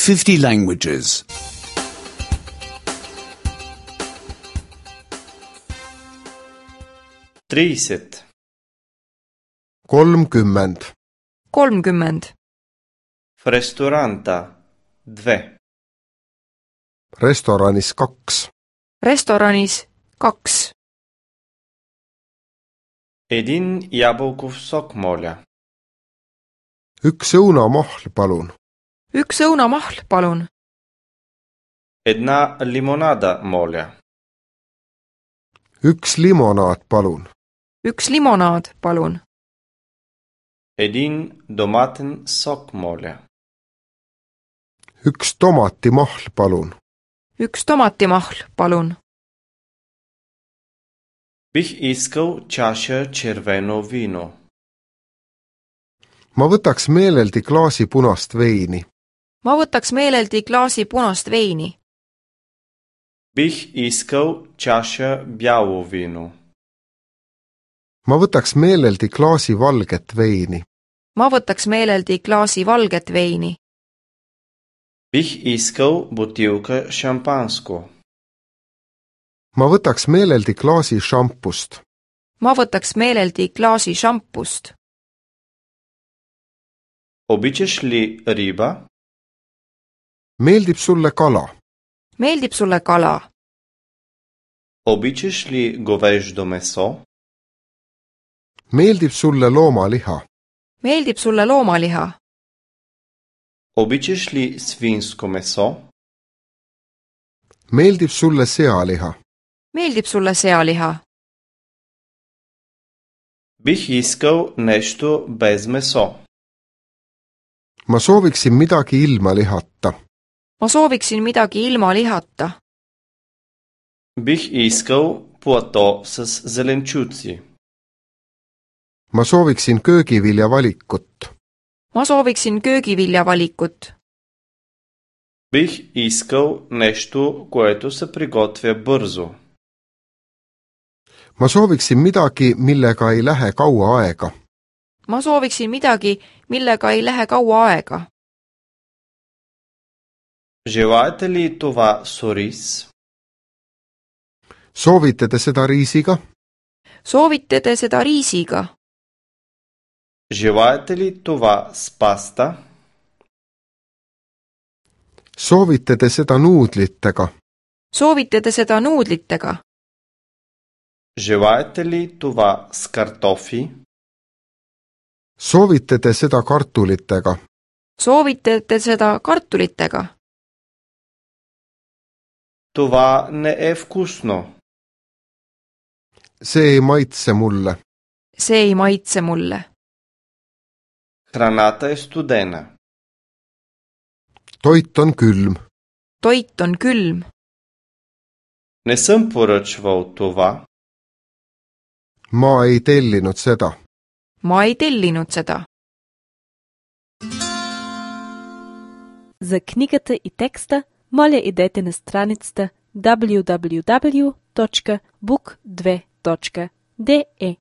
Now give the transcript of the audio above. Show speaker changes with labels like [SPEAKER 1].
[SPEAKER 1] 50 languages.
[SPEAKER 2] 30.
[SPEAKER 3] 30.
[SPEAKER 4] 30.
[SPEAKER 2] В ресторанта 2.
[SPEAKER 3] Restoranis 2.
[SPEAKER 4] Restoranis 2.
[SPEAKER 2] Един ябълков сок, моля.
[SPEAKER 3] Üks õunamahl, palun.
[SPEAKER 4] Üks õunamahl, palun.
[SPEAKER 2] Една лимонада, моля.
[SPEAKER 3] Üks limonaad, palun.
[SPEAKER 4] Üks limonaad, palun.
[SPEAKER 2] Един доматен сок, моля.
[SPEAKER 3] Üks tomatimahl, palun.
[SPEAKER 4] Üks tomatimahl, palun.
[SPEAKER 2] Бих искал чаша червено вино.
[SPEAKER 3] Ma võtaks meeleldi klaasi punast veini.
[SPEAKER 4] Ma võtaks meeleldi klaasi punast veini.
[SPEAKER 2] Бих искал чаша бяло вино.
[SPEAKER 3] Ma võtaks meeleldi klaasi valget veini.
[SPEAKER 4] Ma võtaks meeleldi klaasi valget veini.
[SPEAKER 2] Бих искал бутилка шампанско.
[SPEAKER 3] Ma võtaks meeleldi klaasi šampust.
[SPEAKER 4] Ma võtaks meeleldi klaasi šampust.
[SPEAKER 2] Обичаш ли риба?
[SPEAKER 3] Meeldib sulle kala?
[SPEAKER 4] Meeldib sulle kala?
[SPEAKER 2] Обичаш ли говеждо месо?
[SPEAKER 3] Meeldib sulle loomaliha?
[SPEAKER 4] Meeldib sulle loomaliha?
[SPEAKER 2] Обичаш ли свинско месо?
[SPEAKER 3] Meeldib sulle sealiha?
[SPEAKER 4] Meeldib sulle sealiha?
[SPEAKER 2] Бих искал нещо без месо.
[SPEAKER 3] Ma sooviksin midagi ilma lihata.
[SPEAKER 4] Ma sooviksin midagi ilma lihata.
[SPEAKER 2] Бих искал плато с зеленчуци.
[SPEAKER 3] Ma sooviksin köögivilja valikut.
[SPEAKER 4] Ma sooviksin köögivilja valikut.
[SPEAKER 2] Бих искал нещо, което се приготвя бързо.
[SPEAKER 3] Ma sooviksin midagi, millega ei lähe kaua aega.
[SPEAKER 4] Ma sooviksin midagi, millega ei lähe kaua aega.
[SPEAKER 2] Желаете ли това с ориз?
[SPEAKER 3] Soovite te seda riisiga?
[SPEAKER 4] Soovite te seda riisiga?
[SPEAKER 2] Желаете ли това с паста?
[SPEAKER 3] Soovite te seda nuudlitega?
[SPEAKER 4] Soovite te seda nuudlitega?
[SPEAKER 2] Желаете ли това с картофи?
[SPEAKER 3] Soovite te seda kartulitega?
[SPEAKER 4] Soovite te seda kartulitega?
[SPEAKER 2] Това не е вкусно.
[SPEAKER 3] See ei maitse mulle.
[SPEAKER 4] See ei maitse mulle.
[SPEAKER 2] Храната е студена.
[SPEAKER 3] Toit on külm.
[SPEAKER 4] Toit on külm.
[SPEAKER 2] Не съм поръчвал това.
[SPEAKER 3] Ma ei tellinud seda.
[SPEAKER 4] Ma ei tellinud seda.
[SPEAKER 5] За книгата и текста, моля идете на страницата www.book2.de